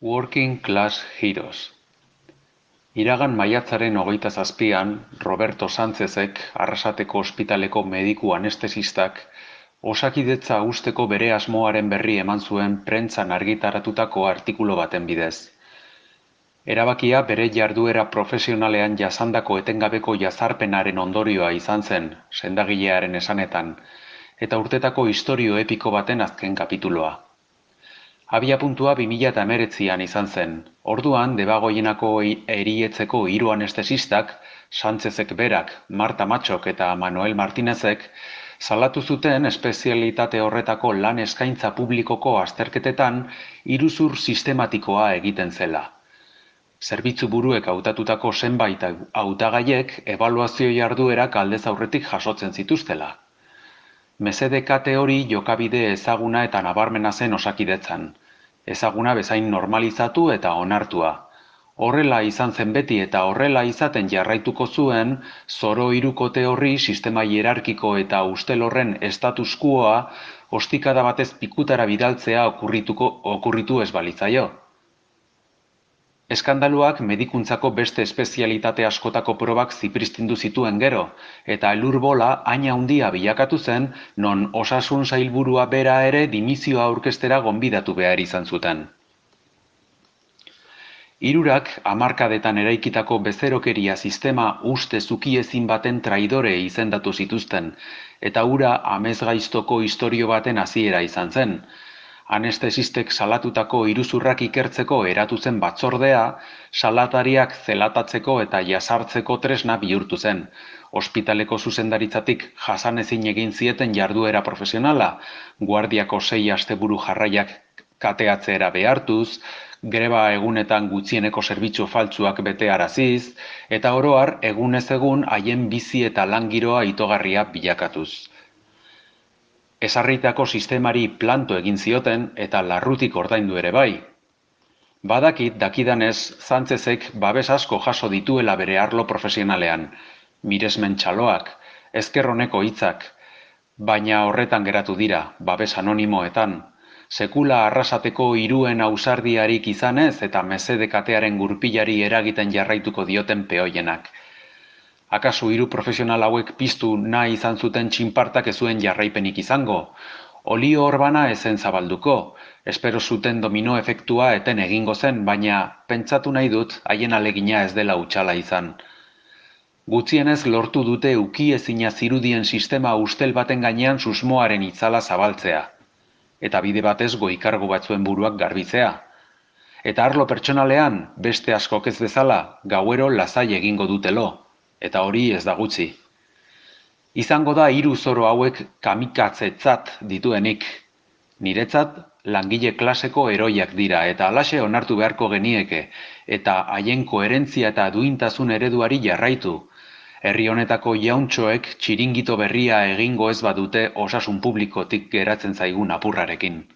Working Class Heroes. Iragan maiatzaren 27an, Roberto Sánchezek, Arrasateko ospitaleko mediku anestesistak, Osakidetza uzteko bere asmoaren berri eman zuen prentsan argitaratutako artikulu baten bidez. Erabakia bere jarduera profesionalean jasandako etengabeko jazarpenaren ondorioa izan zen, sendagilearen esanetan, eta urtetako istorio epiko baten azken kapituloa. Abiapuntua 2019an izan zen. Orduan, Debagoienako erietzeko 3 anestesistak, Sánchezek berak, Marta Matxok eta Manuel Martinezek, salatu zuten espezialitate horretako lan eskaintza publikoko azterketetan iruzur sistematikoa egiten zela. Zerbitzu buruek hautatutako zenbait hautagaiek ebaluazio jarduerak aldez aurretik jasotzen zituztela. Mesede kate hori jokabide ezaguna eta nabarmena zen Osakidetzan. Ezaguna bezain normalizatu eta onartua. Horrela izan zen beti eta horrela izaten jarraituko zuen, zoro hirukote horri sistema hierarkiko eta ustel horren status quoa ostikada batez pikutara bidaltzea okurritu ez balitzaio. Eskandaluak medikuntzako beste espezialitate askotako probak zipristindu zituen gero, eta elurbola haina handia bilakatu zen, non osasun sailburua bera ere dimizioa aurkeztera gonbidatu behar izan zuten. Hirurak hamarkadetan eraikitako bezerokeria sistema uste zukiezin baten traidore izendatu zituzten, eta hura amesgaiztoko istorio baten hasiera izan zen. Anestesistek salatutako iruzurrak ikertzeko eratu zen batzordea, salatariak zelatatzeko eta jasartzeko tresna bihurtu zen. Ospitaleko zuzendaritzatik jasanezin egin zieten jarduera profesionala, guardiako 6 asteburu jarraiak kateatzera behartuz, greba egunetan gutxieneko zerbitzu faltsuak betearaziz, eta oro har egunez egun haien bizi eta lan giroa itogarria bilakatuz. Ezarritako sistemari planto egin zioten eta larrutik ordaindu ere bai. Badakit dakidanez Sánchezek babes asko jaso dituela bere arlo profesionalean, miresmen txaloak, ezker oneko hitzak, baina horretan geratu dira, babes anonimoetan, sekula Arrasateko 3 ausardiarik izanez eta mesede katearen gurpilari eragiten jarraituko dioten peoienak. Akaso 3 profesional hauek piztu nahi izan zuten txinpartak ez zuen jarraipenik izango. Olio orbana ezen zabalduko, espero zuten domino efektua eten egingo zen, baina pentsatu nahi dut haien alegina ez dela hutsala izan. Gutxienez lortu dute ukiezina zirudien sistema ustel baten gainean susmoaren itzala zabaltzea, eta bide batez goi-kargu batzuen buruak garbitzea. Eta arlo pertsonalean, beste askok ez bezala, gauero lasai egingo dutelo. Eta hori ez da gutxi. Izango da 3 zoro hauek kamikatzetzat dituenik. Niretzat langile klaseko heroiak dira eta halaxe onartu beharko genieke, eta haien koherentzia eta duintasun ereduari jarraitu. Herri honetako jauntxoek txiringito berria egingo ez badute osasun publikotik geratzen zaigun apurrarekin.